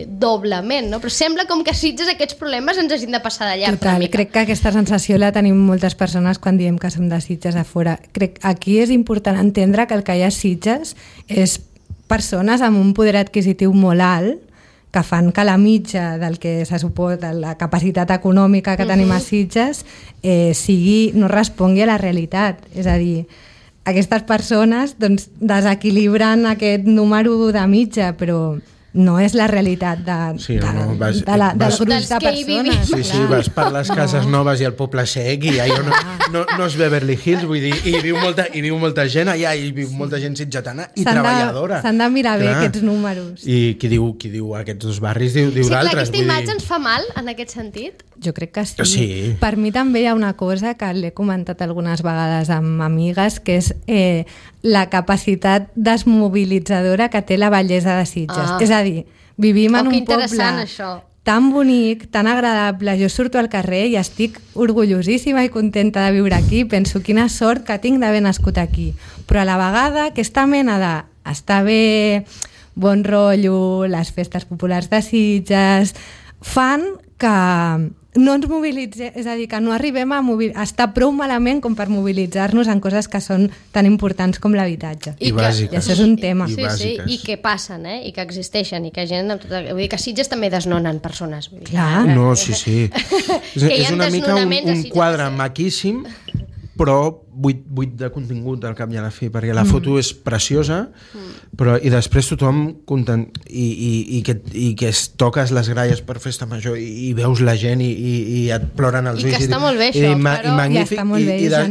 doblement, no? Però sembla com que a Sitges aquests problemes ens hagin de passar de llarg.
Total, crec que aquesta sensació la tenim moltes persones quan diem que som de Sitges a fora. Crec que aquí és important entendre que el que hi ha a Sitges és persones amb un poder adquisitiu molt alt que fan que la mitja del que se suposa, la capacitat econòmica que tenim a Sitges no respongui a la realitat. És a dir, aquestes persones desequilibren aquest número de mitja, no és la realitat dels grups de persones.
Sí, vas per les cases noves i el poble sec i allò no és Beverly Hills, vull dir, i viu molta gent allà, i viu molta gent sitgetana i treballadora.
S'han de mirar bé aquests números.
I qui diu aquests dos barris diu d'altres.
Aquesta imatge ens fa mal en aquest sentit?
Jo crec que sí. Per mi també hi ha una cosa que l'he comentat algunes vegades amb amigues, que és la capacitat desmobilitzadora que té la bellesa de Sitges. És a dir, vivim en un poble tan bonic, tan agradable. Jo surto al carrer i estic orgullosíssima i contenta de viure aquí. Penso quina sort que tinc d'haver nascut aquí. Però a la vegada aquesta mena d'estar bé, bon rotllo, les festes populars de Sitges, fan que no ens mobilitzem, és a dir, que no arribem a estar prou malament com per mobilitzar-nos en coses que són tan importants com l'habitatge.
I bàsiques.
I això és un tema.
Sí, i que passen, i que existeixen, i que gent... Vull dir que a Sitges també desnonen persones. Vull dir,
clar.
No, sí. És una mica un quadre maquíssim, però buit de contingut al cap i a la fi, perquè la foto és preciosa, però i després tothom content, i que es toques les gralles per festa major i veus la gent i et ploren els ulls.
I que està molt bé això,
però... magnífic,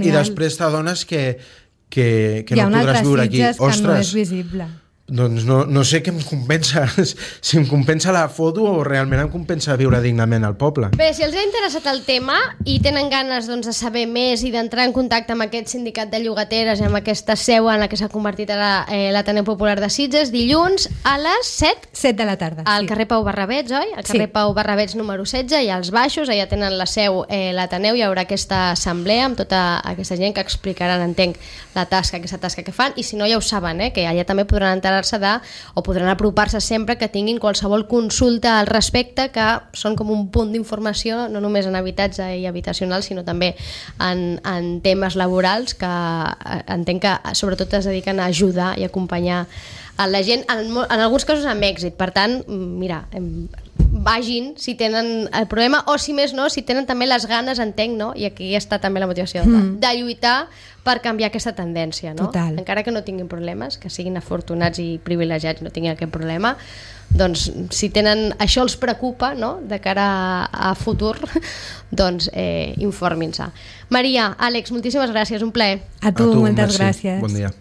i després t'adones que no podràs viure aquí.
Hi ha un altre Sitges que no és visible.
Doncs no sé què em compensa, si em compensa la foto o realment em compensa viure dignament al poble.
Bé, si els ha interessat el tema i tenen ganes de saber més i d'entrar en contacte amb aquest sindicat de llogateres i amb aquesta seu en la que s'ha convertit l'Ateneu Popular de Sitges, dilluns a les 7?
7 de la tarda,
al carrer Pau Barrabets, oi? Al carrer Pau Barrabets número 16 i als baixos, allà tenen la seu l'Ateneu, hi haurà aquesta assemblea amb tota aquesta gent que explicaran, entenc, aquesta tasca que fan, i si no ja ho saben, que allà també podran entrar assabentar-se o podran apropar-se sempre que tinguin qualsevol consulta al respecte, que són com un punt d'informació no només en habitatge i habitacional, sinó també en temes laborals, que entenc que sobretot es dediquen a ajudar i acompanyar a la gent, en alguns casos amb èxit. Per tant, mira, vagin si tenen el problema, o si més no, si tenen també les ganes, entenc, no? I aquí està també la motivació de lluitar per canviar aquesta tendència, no?
Total.
Encara que no tinguin problemes, que siguin afortunats i privilegiats, no tinguin aquest problema, doncs si tenen, això els preocupa, no?, de cara a futur, doncs informin-se. Maria, Àlex, moltíssimes gràcies, un plaer.
A tu moltes
merci.
gràcies.
Bon dia.